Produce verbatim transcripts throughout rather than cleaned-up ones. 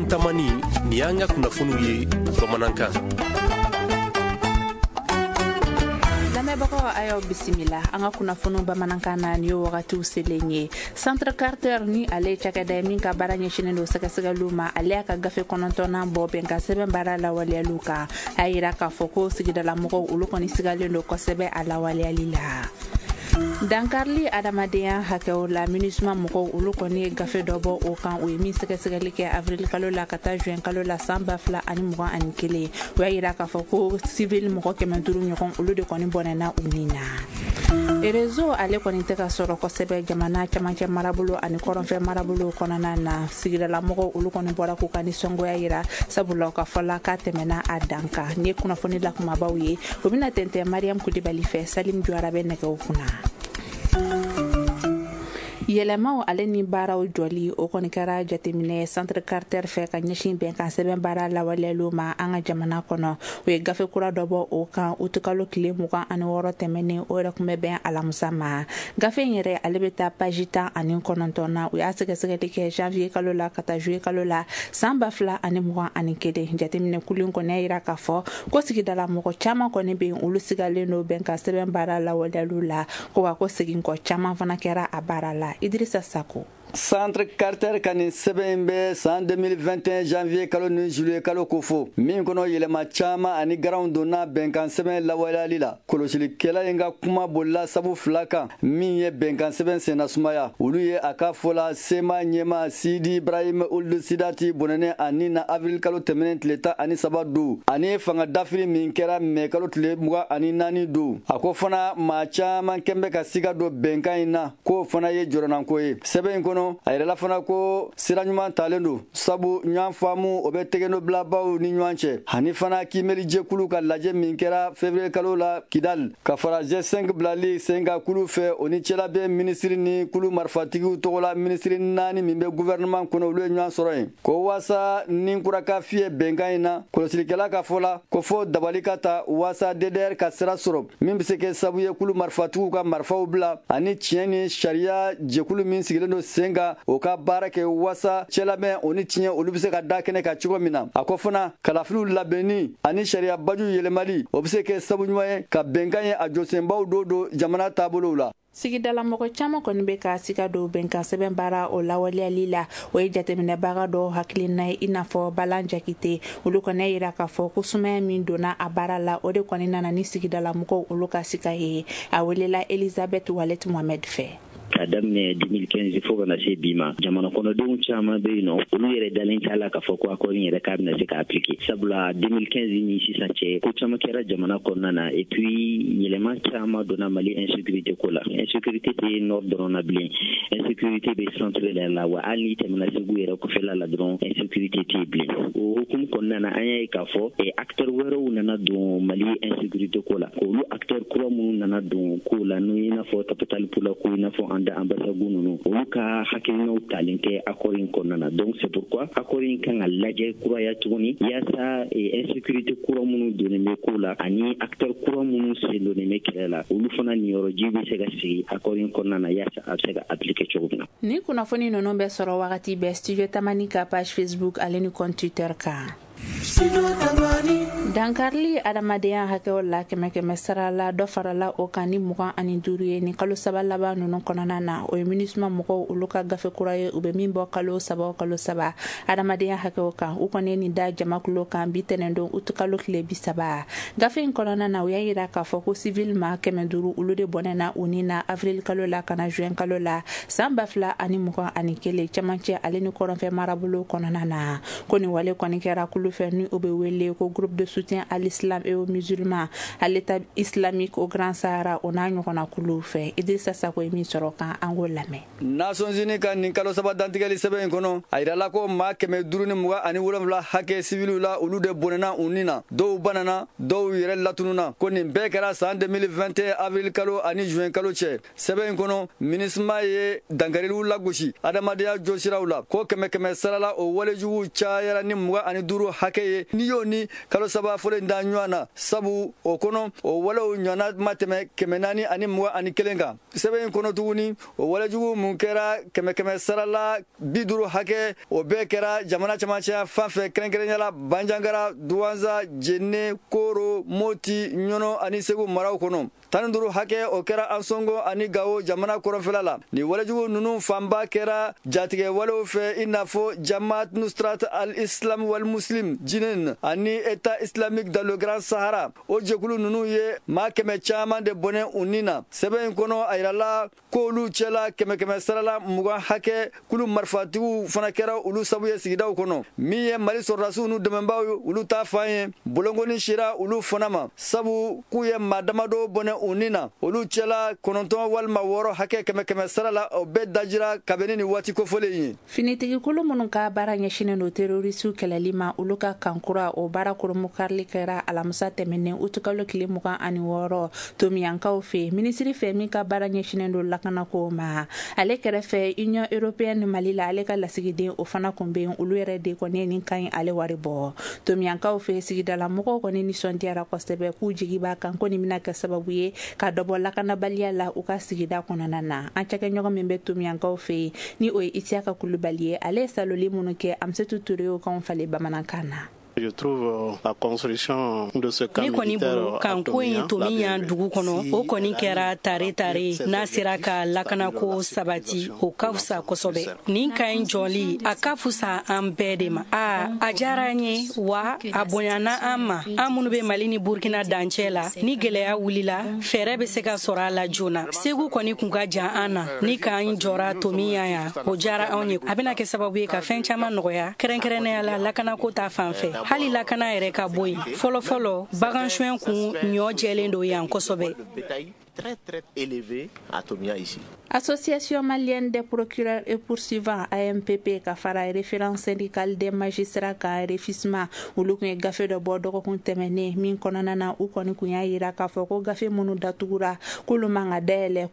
Tamani, nin y'an ka kunnafoniw ye bamanankan. Lamɛnbagaw, a y'aw bisimila an ka kunnafoniw bamanankan na. Nin ye wagatiw selen ye. Centre Carter ni ale ye cakɛda ye min ka baara ɲɛsinen don sɛgɛsɛgɛliw ma, ale y'a ka gafe kɔnɔntɔnnan bɔ bɛnkan sɛbɛn baara lawaleyaliw kan. A y'a yira k'a fɔ ko sigidalamɔgɔw, olu kɔni sigalen don kosɛbɛ a lawaleyali la. Dankarili adamadenya hakɛw la, MINUSMA mɔgɔw, olu kɔni ye gafe dɔ bɔ o kan. O ye min sɛgɛsɛgɛli kɛ avril kalo la ka taa juin kalo la san ba fila ani mugan ani kelen. O y'a yira k'a fɔ ko civil mɔgɔ kɛmɛ duuru ɲɔgɔn, olu de kɔni bɔnɛna u ni na. Réseau ale kɔni tɛ ka sɔrɔ kosɛbɛ jamana camancɛ marabolo ani kɔrɔnfɛ marabolo kɔnɔna na. Sigidalamɔgɔw, olu kɔni bɔra k'u ka nisɔngoya yira, sabula u ka fɔla k'a tɛmɛna a dan kan. Nin ye kunnafoni la kumabaw ye, o bɛna tɛntɛn Mariam Kulibali fɛ. Salim Juwara bɛ nɛgɛw kunna. Yɛlɛmaw ale ni baaraw jɔli, o kɔni kɛra jateminɛ Centre Carter fɛ ka ɲɛsin bɛnkan sɛbɛn baara lawaleyaliw ma an ka jamana kɔnɔ. O ye gafe kura dɔ bɔ o kan utukalo tile mugan ani wɔɔrɔ tɛmɛnen, o yɛrɛ kun bɛ bɛn alamisa ma. Gafe in yɛrɛ, ale bɛ taa paji tan ani kɔnɔntɔn na. U y'a sɛgɛsɛgɛli kɛ janvier kalo la ka taa juillet kalo la san ba fila ani mugan ani kelen. Jateminɛ kulu kɔni y'a yira k'a fɔ ko sigidala mɔgɔ caman kɔni bɛ yen, olu sigalen don bɛnkan sɛbɛn baara lawaleyaliw la, ko wa ko segin kɔ caman fana kɛra a baara la. Idrissa Sako. Centre Carter ka nin sɛbɛn in bɛ san deux mille vingt et un janvier kalo ni juillet kalo kofɔ, min kɔnɔ yɛlɛma caman ani garanw donna bɛnkan sɛbɛn lawaleyali la. Kɔlɔsilikɛla in ka kuma bolila sabu fila kan min ye bɛnkan sɛbɛn senna sumaya. Olu ye, a ka fɔ la, C M A ɲɛma Sidi Ibrahim Ould Sidati bɔnɛnen ani na avril kalo tɛmɛnen tile tan ani saba don, ani fanga dafiri min kɛra mɛ kalo tile mugan ani naani don. A ko fana maa caman kɛn bɛ ka siga don bɛnkan in na, k'o fana ye jɔrɔnanko ye. Sɛbɛn in kɔnɔ, a yɛrɛla fana ko sira ɲuman talen don, sabu ɲɔgɔn faamu o bɛ tɛgɛnɔbilabaw ni ɲɔgɔn cɛ, ani fana kiimɛli jɛkulu ka lajɛ min kɛra février kalo la Kidal, ka fara G cinq bilali sen kan kulu fɛ, o ni cɛlabɛn minisiri ni kulu marifatigiw tɔgɔla minisiri naani min bɛ gouvernement kɔnɔ, olu ye ɲɔgɔn sɔrɔ yen, ko waasa ni kura ka fiyɛ bɛnkan in na. Kɔlɔsilikɛla ka fɔ la, ko fɔ dabali ka ta waasa D D R ka sira sɔrɔ min bɛ se kɛ sababu ye kulu marifatigiw ka marifaw bila, ani tiɲɛ ni sariya jɛkulu min sigilen don sen kan, o ka baara kɛ waasa cɛlamɛn o ni tiɲɛ, olu bɛ se ka da kɛnɛ kan cogo min na. A ko fana kalafiliw labɛnni ani sariya baju yɛlɛmali, o bɛ se kɛ sabu ɲuman ye ka bɛnkan ye a jɔsenbaw dɔ don jamana taabolow la. Sigidalamɔgɔ caman kɔni bɛ ka siga don bɛnkan sɛbɛn baara o lawaleyali la. O ye jateminɛbaga dɔw hakilina ye, i n'a fɔ Balan Jakite. Olu kɔni y'a yira k'a fɔ ko sumaya min donna a baara la, o de kɔni nana ni sigidalamɔgɔw olu ka siga ye. A welela Elizabeth Walet Mohamed fɛ. Ka daminɛ deux mille quinze fo kana se bi ma, jamana kɔnɔdenw caman bɛ yen nɔ, olu yɛrɛ dalen t'a la k'a fɔ ko accord in yɛrɛ k'a bɛna se ka appliquer, sabula deux mille quinze ni sisan cɛ, ko caman kɛra jamana kɔnɔna na. Et puis yɛlɛma caman donna Mali insécurité ko la. Insécurité tɛ nord dɔrɔn na bilen, insécurité bɛ centre yɛrɛ la, wa hali n'i tɛmɛna Segu yɛrɛ kɔfɛla la dɔrɔn, insécurité tɛ yen bilen. O hukumu kɔnɔna na, an y'a ye k'a fɔ acteur wɛrɛw nana don Mali insécurité ko la. Olu acteur kura minnu nana don ko la, n'o i n'a fɔ Tabital Pulaaku, i n'a fɔ Anda Ambassagou ninnu, olu ka hakilinaw talen tɛ accord in kɔnɔna na. Donc c'est pourquoi accord in kan ka lajɛ kuraya tuguni, yaasa insécurité kura minnu donnen bɛ ko la ani acteur kura minnu sen donnen bɛ kɛlɛ la, olu fana niyɔrɔji bɛ se ka sigi accord in kɔnɔna na, yaasa a bɛ se ka appliquer cogo min na. Ni kunnafoni ninnu bɛ sɔrɔ wagati bɛɛ Studio Tamani ka page Facebook ale ni compte Twitter kan. Dankarili adamadenya hakɛw la, kɛmɛ kɛmɛ sara la, dɔ farala o kan ni mugan ani duuru ye ni kalo saba laban ninnu kɔnɔna na. O ye MINUSMA mɔgɔw olu ka gafe kura ye, u bɛ min bɔ kalo saba o kalo saba adamadenya hakɛw kan. U kɔni ye nin da jamakulu kan bi tɛnɛndon utukalo tile bi saba. Gafe in kɔnɔna na, u y'a yira k'a fɔ ko civil ma kɛmɛ duuru, olu de bɔnɛna u ni na avril kalo la ka na juin kalo la san ba fila ani mugan ani kelen, cɛmancɛ ale ni kɔrɔnfɛ marabolo kɔnɔna na. Ko nin wale kɔni kɛra kulu fɛ ni o bɛ wele ko Groupe de soutien à l'islam et aux musulmans, à l'État islamique au Grand Sahara, o n'a ɲɔgɔnna kuluw fɛ. Idrissa Sako ye min sɔrɔ kan, an k'o lamɛn. Nations Unies ka nin kalo saba dantigɛli sɛbɛn in kɔnɔ, a yirala ko maa kɛmɛ duuru ni mugan ani wolonfila hakɛ siviliw la, olu de bɔnɛna u ni na, dɔw banana, dɔw yɛrɛ latununa. Ko nin bɛɛ kɛra san deux mille vingt et un avril kalo ani juin kalo cɛ. Sɛbɛn in kɔnɔ, MINUSMA ye dankariliw lagosi adamadenya jɔsiraw la, ko kɛmɛ kɛmɛ sarala, o walejuguw cayara ni mugan ani duuru hakɛ. ye n'i y'o ni kalo saba fɔlɔ in da ɲɔgɔn na, sabu o kɔnɔ o walew ɲɔgɔnna ma tɛmɛ kɛmɛ naani ani mugan ani kelen kan. Sɛbɛn in kɔnɔ tuguni, o walejugu mun kɛra kɛmɛ kɛmɛ sara la bi duuru hakɛ, o bɛɛ kɛra jamana camancɛ fan fɛ, kɛrɛnkɛrɛnnenya la Banjagara, Duwanza, Jene, Koro, Moti, Ɲɔnɔ ani Segu maraw kɔnɔ. Tan ni duuru hakɛ o kɛra Ansongo ani Gawo jamana kɔrɔnfɛla la. Nin walejugu ninnu fanba kɛra jatigɛ walew fɛ, i n'a fɔ Jamaat Nusrat al-Islam wal Muslim Jinin ani État islamique dans le Grand Sahara. O jɛkulu ninnu ye maa kɛmɛ caman de bɔnɛ u ni na. Sɛbɛn in kɔnɔ, a yirala k'olu cɛla kɛmɛ kɛmɛ sarala mugan hakɛ, kulu marifatigiw fana kɛra olu sabu ye sigidaw kɔnɔ. Min ye Mali sɔrɔdasiw n'u dɛmɛbaaw ye, olu ta fan ye, bolonkɔni sira olu fana ma, sabu k'u ye maa damadɔ bɔnɛ u ni na. Olu cɛla kɔnɔntɔn walima wɔɔrɔ hakɛ kɛmɛ kɛmɛ sara la, o bɛɛ dajira kabini ni waati kofɔlen ye. Finitigikulu minnu ka baara ɲɛsinnen don terrorisiw kɛlɛli ma, olu ka kankura o baara koromukarili kɛra alamisa tɛmɛnen utukalo tile mugan ani wɔɔrɔ Tomiyankaw fɛ, minisiri fɛ min ka baara ɲɛsinnen don lakanako ma. Ale kɛrɛfɛ, Union européenne Mali la, ale ka lasigiden o fana kun bɛ yen. Olu yɛrɛ de kɔni ye nin kan ye ale wari bɔ. Tomiyankaw fɛ, sigidala mɔgɔw kɔni nisɔndiyara kosɛbɛ, k'u jigi b'a kan ko nin bɛna kɛ sababu ye ka dɔ bɔ lakanabaliya la u ka sigida kɔnɔna na. An cakɛɲɔgɔn min bɛ Tomiyankaw fɛ yen, ni o ye Isiyaka Kulubali ye, ale ye saloli minnu kɛ, Amsetu Ture y'o kanw falen bamanankan na. Je trouve la construction de ce camp Ne kɔni bolo, militaire kanko in Tomiyan dugu kɔnɔ, o kɔni kɛra tare tare. N'a sera ka lakanako sabati, o ka fisa kosɛbɛ. Nin ka ɲi jɔli, a ka fisa an bɛɛ de ma. A a diyara an ye wa a bonyana an ma. An minnu bɛ Mali ni Burkina dancɛ la, ni gɛlɛya wulila, fɛɛrɛ bɛ se ka sɔrɔ a la joona. Segu kɔni kun ka jan an na. Ni k'an jɔra Tomiyan yan, o diyara anw ye. A bɛna kɛ sababu ye ka fɛn caman nɔgɔya, kɛrɛnkɛrɛnnenya la lakanako ta fan fɛ. Hali lakana yɛrɛ ka bɔ yen, fɔlɔ fɔlɔ bagan suɲɛ kun ɲɔ jɛlen don yan kosɛbɛ. Très très élevé à Tomia ici. Association malienne des procureurs et poursuivants A M P P ka fara Référence syndicale des magistrats ka REFISMA, olu kun ye gafe dɔ bɔ dɔgɔkun tɛmɛnen min kɔnɔna na, u kɔni kun y'a yira k'a fɔ ko gafe minnu datugura, k'olu man ka dayɛlɛ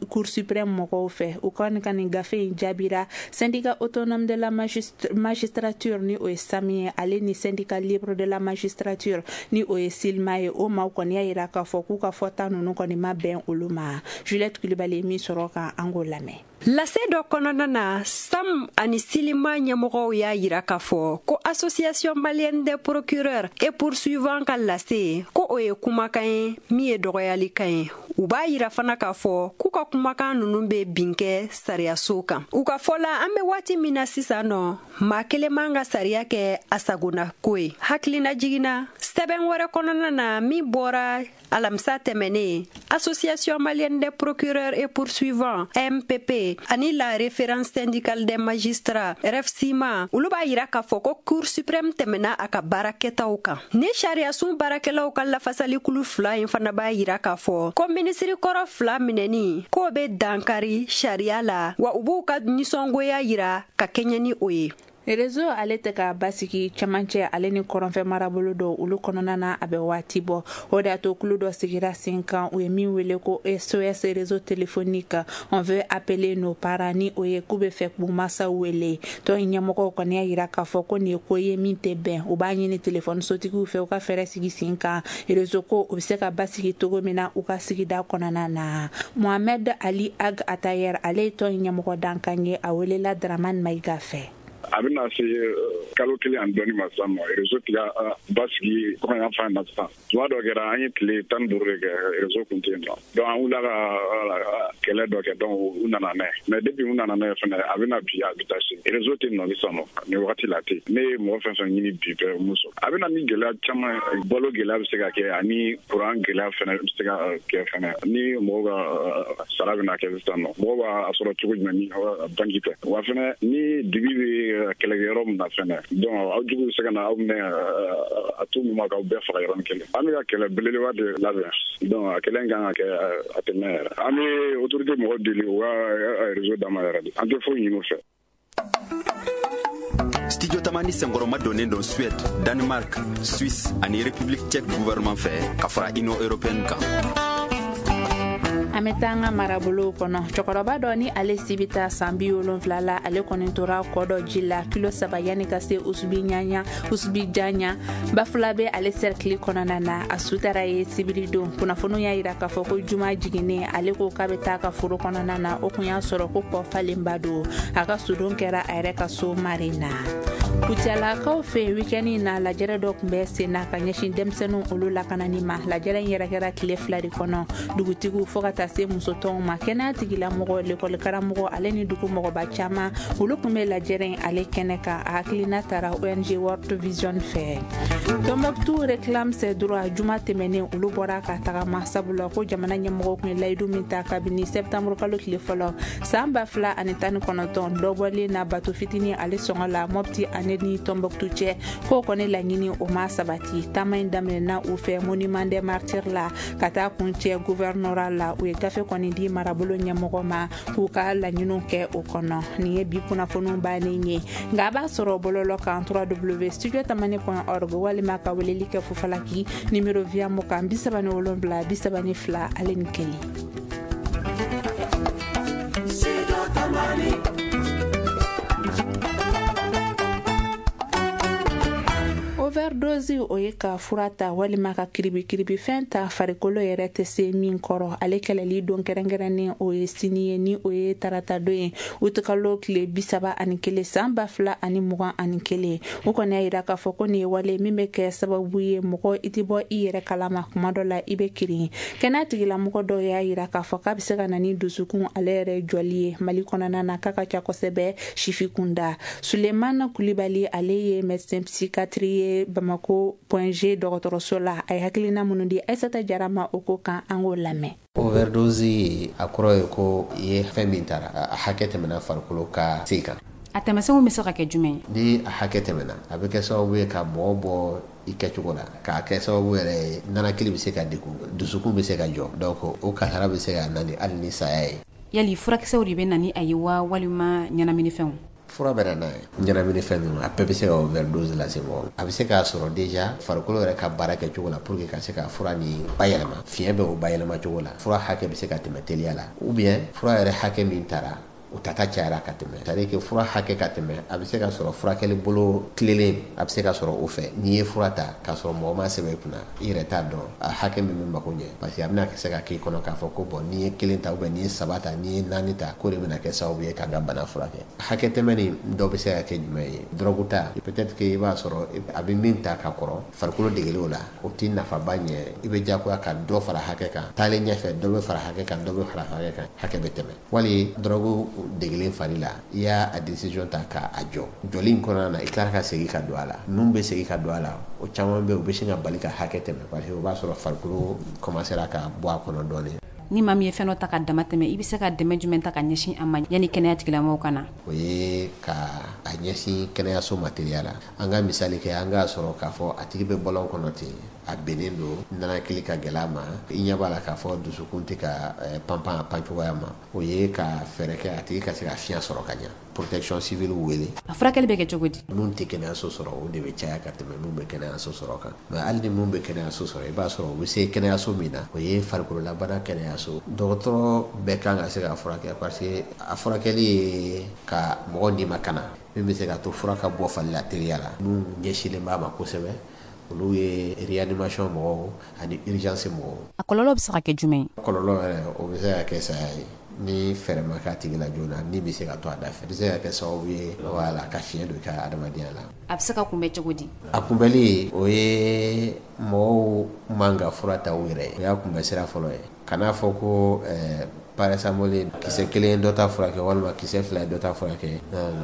Cour suprême mɔgɔw fɛ. U kɔni ka nin gafe in jaabira Syndicat autonome de la magistrature, ni o ye SAM ye, ale ni Syndicat libre de la magistrature, ni o ye SILMA ye. O maaw kɔni y'a yira k'a fɔ k'u ka fɔta ninnu kɔni ma bɛn olu ma. Juliette Kulibali ye min sɔrɔ ka an k'o lamɛn. Lase dɔ kɔnɔna na, SAM ani SILIMA ɲɛmɔgɔw y'a yira k'a fɔ ko Association malienne des procureurs et poursuivants ka lase, ko o ye kumakan ye min ye dɔgɔyalikan ye. U b'a yira fana k'a fɔ k'u ka kumakan ninnu bɛ bin kɛ sariyaso kan. U ka fɔ la, an bɛ waati min na sisan nɔ, maa kelen man ka sariya kɛ a sagona ko ye. Hakilina jiginna sɛbɛn wɛrɛ kɔnɔna na min bɔra alamisa tɛmɛnen, Association malienne des procureurs et poursuivants A M P P ani la Référence syndicale des magistrats REFSIMA, olu b'a yira k'a fɔ ko Cour suprême tɛmɛna a ka baarakɛtaw kan. Ni sariyasun baarakɛlaw ka lafasalikulu fila in fana b'a yira k'a fɔ ko minisiri kɔrɔ fila minɛni k'o bɛ dankari sariya la, wa u b'u ka nisɔngoya yira ka kɛɲɛ ni o ye. Réseau ale tɛ ka basigi cɛmancɛ ale ni kɔrɔnfɛ marabolo dɔw olu kɔnɔna na, a bɛ waati bɔ. O de y'a to kulu dɔ sigira sen kan, u ye min wele ko S O S réseau téléphonique, on veut appeler nos parents, ni o ye k'u bɛ fɛ k'u masaw wele. Tɔn in ɲɛmɔgɔw kɔni y'a yira k'a fɔ ko nin ye ko ye min tɛ bɛn. U b'a ɲini telefɔni sotigiw fɛ, u ka fɛɛrɛ sigi sen kan, réseau ko o bɛ se ka basigi cogo min na u ka sigida kɔnɔna na. Mohamed Ali Ag Atayer, ale ye tɔn in ɲɛmɔgɔ dankan ye, a welela Dramane Maïga fɛ. A bɛna se kalo kelen ani dɔɔni ma sisan nɔ, réseau tigɛ basigi kɔɲɔ fan na sisan. Tuma dɔ kɛra, an ye tile tan ni duuru de kɛ, réseau kun tɛ yen nɔ. Donc an wulila ka kɛlɛ dɔ kɛ, donc u nana n'a ye. Mais depuis u nana n'a ye fɛnɛ, a bɛna bi, a bɛ taa sini, réseau tɛ nɔ sisan nɔ. Nin wagati la ten, ne ye mɔgɔ fɛn fɛn ɲini bi bɛɛ mun sɔrɔ, a bɛna ni gɛlɛya caman. Balo gɛlɛya bɛ se ka kɛ, ani kuran gɛlɛya fɛnɛ bɛ se ka kɛ fɛnɛ. Ni mɔgɔw ka sara bɛna kɛ sisan nɔ, mɔgɔw b'a sɔrɔ cogo jumɛn ni banki tɛ? Wa fɛnɛ, ni dibi bɛ kɛlɛkɛyɔrɔ min na fɛnɛ, donc aw jugu bɛ se ka na aw minɛ a tout moment k'aw bɛɛ faga yɔrɔnin kelen. An bɛ ka kɛlɛ belebeleba de labɛn, donc a kɛlɛ in kan ka kɛ, a tɛ mɛn yɛrɛ. An bɛ autorité mɔgɔw deli u ka réseau d'an ma yɛrɛ de, an tɛ foyi ɲini u fɛ. Studio Tamani senkɔrɔma donnen don Suède, Danemark, Suisse ani République tchèque gouvernement fɛ ka fara Union européenne kan. An An bɛ taa an ka marabolow kɔnɔ. Cɛkɔrɔba dɔ ni ale si bɛ taa san bi wolonfila la, ale kɔni tora kɔ dɔ ji la kilo saba yanni ka se Usubi ɲaɲa Usubi janya Bafulabe ale sɛrikili kɔnɔna na. A su taara ye sibiri don. Kunnafoniw y'a yira k'a fɔ ko juma jiginnen, ale ko k'a bɛ taa ka foro kɔnɔna na, o kun y'a sɔrɔ ko kɔ falenba don. A ka sudon kɛra a yɛrɛ ka so mari na. Kucalakaw fɛ week-end in na, lajɛrɛ dɔ tun bɛ sen na ka ɲɛsin denmisɛnninw olu lakanani ma. Lajɛrɛ in yɛrɛ kɛra tile fila de kɔnɔ, dugutigiw fo ka taa se musotɔnw ma, kɛnɛya tigilamɔgɔ, lekɔlikaramɔgɔ ale ni dugu mɔgɔba caman, olu tun bɛ lajɛrɛ in ale kɛnɛ kan. A hakilina taara O N G World Vision fɛ. Tombouctou réclame ses droits. Juma tɛmɛnen, olu bɔra ka tagama sabula ko jamana ɲɛmɔgɔw tun ye layidu min ta kabini septembre kalo tile fɔlɔ san ba fila ani tan ni kɔnɔntɔn, dɔbɔlen na bato fitinin ale sɔngɔ la Mopti ale ni Tombouctou cɛ, k'o kɔni laɲini o ma sabati. Taama in daminɛna u fɛ monument des martyrs la ka taa kuncɛ gouvernorat la. U ye gafe kɔni di marabolo ɲɛmɔgɔ ma k'u ka laɲiniw kɛ o kɔnɔ. Nin ye bi kunnafoniw bannen ye, nka a b'a sɔrɔ bɔlɔlɔ kan w w w studio tamani point org walima ka weleli kɛ Fufalaki numéro via mugan bi saba ni wolonwula bi saba ni fila ale ni kelen. Overdose, o ye ka fura ta walima ka kiribikiribifɛn ta farikolo yɛrɛ tɛ se min kɔrɔ. Ale kɛlɛli don kɛrɛnkɛrɛnnen o ye sini ye, ni o ye tarata don ye, utukalo tile bi saba ani kelen san ba fila ani mugan ani kelen. O kɔni y'a yira k'a fɔ ko nin ye wale min bɛ kɛ sababu ye mɔgɔ i tɛ bɔ i yɛrɛ kalama, kuma dɔ la i bɛ kirin. Kɛnɛya tigilamɔgɔ dɔw y'a yira k'a fɔ k'a bɛ se ka na ni dusukun ale yɛrɛ jɔli ye Mali kɔnɔna na, k'a ka ca kosɛbɛ sifi kunda. Sulemana Kulibali, ale ye médecin psychiatre ye Bamako Point G dɔgɔtɔrɔso la, a ye hakilina minnu di Aissata Jara ma o ko kan, an k'o lamɛn. Overdose a kɔrɔ ye ko i ye fɛn min tara, a hakɛ tɛmɛna farikolo ka se kan. A tɛmɛsenw bɛ se ka kɛ jumɛn ye? Ni a hakɛ tɛmɛna, a bɛ kɛ sababu ye ka mɔgɔ bɔ i kɛcogo la, k'a kɛ sababu yɛrɛ ye nanakili bɛ se ka degun, dusukun bɛ se ka jɔ, donc o kasara bɛ se ka na ni hali ni saya ye. Yali furakisɛw de bɛ na ni a ye wa walima ɲɛnaminifɛnw? Fura bɛ na n'a ye, ɲɛnaminifɛn ninnu a bɛɛ bɛ se ka overdose lase mɔgɔ ma. A bɛ se k'a sɔrɔ déjà farikolo yɛrɛ ka baara kɛ cogo la pour que ka se ka fura nin bayɛlɛma, fiɲɛ bɛ o bayɛlɛma cogo la, fura hakɛ bɛ se ka tɛmɛ teliya la, ou bien fura yɛrɛ hakɛ min tara o tata cayara ka tɛmɛ. C'est à dire que fura hakɛ ka tɛmɛ, a bɛ se ka sɔrɔ furakɛli bolo tilelen a bɛ se ka sɔrɔ o fɛ. N'i ye fura ta k'a sɔrɔ mɔgɔ ma sɛbɛn i kunna, i yɛrɛ t'a dɔn a hakɛ min bɛ mako ɲɛ, parce que a bɛna se ka k'i kɔnɔ k'a fɔ ko bon n'i ye kelen ta ou bien n'i ye saba ta, n'i ye naani ta, k'o de bɛna kɛ sababu ye k'an ka bana furakɛ. Hakɛ tɛmɛ nin dɔ bɛ se ka kɛ jumɛn ye? Dɔrɔgu ta, peut-être que i b'a sɔrɔ a bɛ min ta ka kɔrɔ, farikolo degeli o la, o t'i nafaba ɲɛ, i bɛ diyagoya ka dɔ fara hakɛ kan, taalen ɲɛfɛ dɔ bɛ fara hakɛ kan, dɔ bɛ fara hakɛ kan, hakɛ bɛ tɛmɛ. Wali dɔrɔgu degelen fari la, i y'a a décision ta k'a jɔ, jɔli in kɔnɔna na i tilara ka segin ka don a la, mun bɛ segin ka don a la, o caman bɛ yen u bɛ sin ka bali ka hakɛ tɛmɛ, parce que o b'a sɔrɔ farikolo commencera ka bɔ a kɔnɔ dɔɔnin. Ni maa min ye fɛn dɔ ta ka dama tɛmɛ, i bɛ se ka dɛmɛ jumɛn ta ka ɲɛsin a ma yanni kɛnɛya tigilamɔgɔw ka na? O ye ka a ɲɛsin kɛnɛyaso ma teliya la. An ka misali kɛ, an k'a sɔrɔ k'a fɔ a tigi bɛ bɔlɔn kɔnɔ ten, a bennen don, nanakili ka gɛlɛ a ma, i ɲɛ b'a la k'a fɔ dusukun tɛ ka panpan a pan cogoya ma, o ye ka fɛɛrɛ kɛ a tigi ka se ka fiɲɛ sɔrɔ ka ɲɛ. Protection civile wele. A furakɛli bɛ kɛ cogo di? Mun tɛ kɛnɛyaso sɔrɔ, o de bɛ caya ka tɛmɛ mun bɛ kɛnɛyaso sɔrɔ kan. Mais hali ni mun bɛ kɛnɛyaso sɔrɔ, i b'a sɔrɔ u bɛ se kɛnɛyaso min na, o ye farikololabana kɛnɛyaso. Dɔgɔtɔrɔ bɛɛ kan ka se ka furakɛ, parce que a furakɛli ye ka mɔgɔ ni makana min bɛ se ka to fura ka bɔ fali la teliya la. Mun ɲɛsinlen b'a ma kosɛbɛ, olu ye réanimation mɔgɔw ani urgence mɔgɔw. A kɔlɔlɔ bɛ se ka kɛ jumɛn ye? Kɔlɔlɔ yɛrɛ, o bɛ se ka kɛ saya ye. Ni fɛɛrɛ ma k'a tigi la joona, ni bɛ se ka to a da fɛ, a bɛ se ka kɛ sababu ye wala ka fiɲɛ don i ka adamadenya la. A bɛ se ka kunbɛn cogo di? A kunbɛli, o ye mɔgɔw man ka fura ta u yɛrɛ ye, o y'a kunbɛn sira fɔlɔ ye. Kan'a fɔ ko ɛɛ paracétamol kisɛ kelen dɔ ta furakɛ walima kisɛ fila dɔ ta furakɛ. Non non.